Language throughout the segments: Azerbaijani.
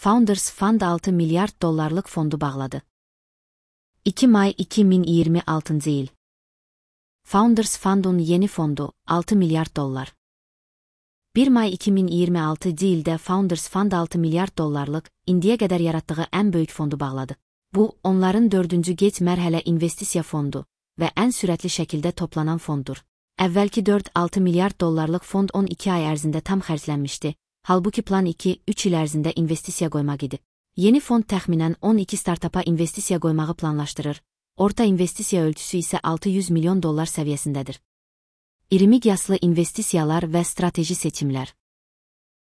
Founders Fund 6 milyard dollarlıq fondu bağladı. 2 may 2026 il. Founders Fund'un yeni fondu, 6 milyard dollar. 1 may 2026 ildə Founders Fund 6 milyard dollarlıq, indiyə qədər yaratdığı ən böyük fondu bağladı. Bu, onların 4-cü geç mərhələ investisiya fondu və ən sürətli şəkildə toplanan fonddur. Əvvəlki 4-6 milyard dollarlıq fond 12 ay ərzində tam xərclənmişdi, halbuki plan 2-3 il ərzində investisiya qoymaq idi. Yeni fond təxminən 12 startapa investisiya qoymağı planlaşdırır, orta investisiya ölçüsü isə 600 milyon dollar səviyyəsindədir. İri miqyaslı investisiyalar və strateji seçimlər.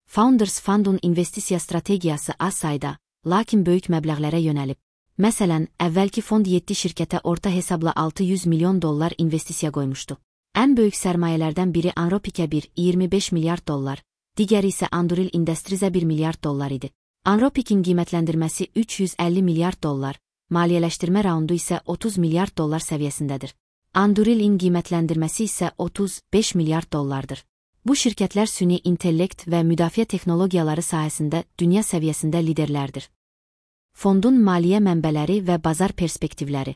Founders Fund'un investisiya strategiyası az sayda, lakin böyük məbləğlərə yönəlib. Məsələn, əvvəlki fond 7 şirkətə orta hesabla 600 milyon dollar investisiya qoymuşdu. Ən böyük sərmayələrdən biri Anropikə 25 milyard dollar, digəri isə Anduril Industries 1 milyard dollar idi. Anropik'in qiymətləndirməsi 350 milyard dollar, maliyyələşdirmə raundu isə 30 milyard dollar səviyyəsindədir. Anduril'in qiymətləndirməsi isə 35 milyard dollardır. Bu şirkətlər süni intellekt və müdafiə texnologiyaları sahəsində dünya səviyyəsində liderlərdir. Fondun maliyyə mənbələri və bazar perspektivləri.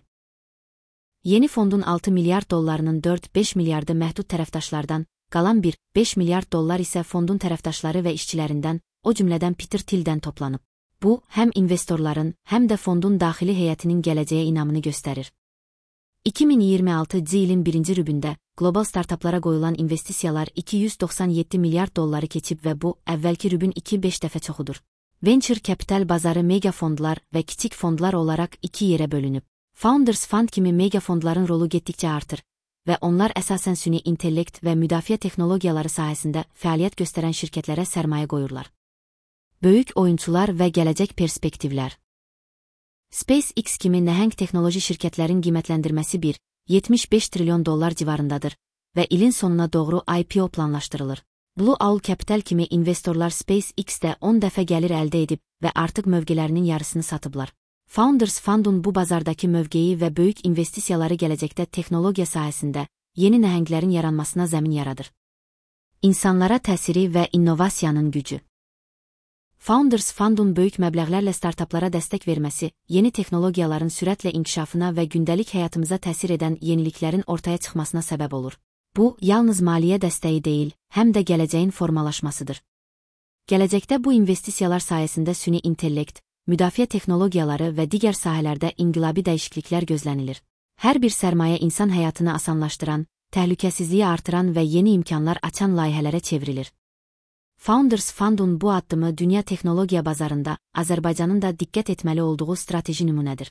Yeni fondun 6 milyard dollarının 4-5 milyardı məhdud tərəfdaşlardan, qalan 1-5 milyard dollar isə fondun tərəfdaşları və işçilərindən, o cümlədən Peter Thiel'dən toplanıb. Bu, həm investorların, həm də fondun daxili heyətinin gələcəyə inamını göstərir. 2026 ilin 1-ci rübündə, qlobal startaplara qoyulan investisiyalar 297 milyard dolları keçib və bu, əvvəlki rübün 2-5 dəfə çoxudur. Venture Capital bazarı mega fondlar və kiçik fondlar olaraq 2 yerə bölünüb. Founders Fund kimi mega fondların rolu getdikcə artır və onlar əsasən süni intellekt və müdafiə texnologiyaları sahəsində fəaliyyət göstərən şirkətlərə sərmayə qoyurlar. Böyük oyunçular və gələcək perspektivlər. SpaceX kimi nəhəng texnoloji şirkətlərin qiymətləndirməsi 1,75 trilyon dollar civarındadır və ilin sonuna doğru IPO planlaşdırılır. Blue Owl Capital kimi investorlar SpaceX-də 10 dəfə gəlir əldə edib və artıq mövqelərinin yarısını satıblar. Founders Fund'un bu bazardakı mövqeyi və böyük investisiyaları gələcəkdə texnologiya sahəsində yeni nəhənglərin yaranmasına zəmin yaradır. İnsanlara təsiri və innovasiyanın gücü. Founders Fund'un böyük məbləğlərlə startaplara dəstək verməsi, yeni texnologiyaların sürətlə inkişafına və gündəlik həyatımıza təsir edən yeniliklərin ortaya çıxmasına səbəb olur. Bu, yalnız maliyyə dəstəyi deyil, həm də gələcəyin formalaşmasıdır. Gələcəkdə bu investisiyalar sayəsində süni intellekt, müdafiə texnologiyaları və digər sahələrdə inqilabi dəyişikliklər gözlənilir. Hər bir sərmayə insan həyatını asanlaşdıran, təhlükəsizliyi artıran və yeni imkanlar açan layihələrə çevrilir. Founders Fund'un bu addımı dünya texnologiya bazarında Azərbaycanın da diqqət etməli olduğu strateji nümunədir.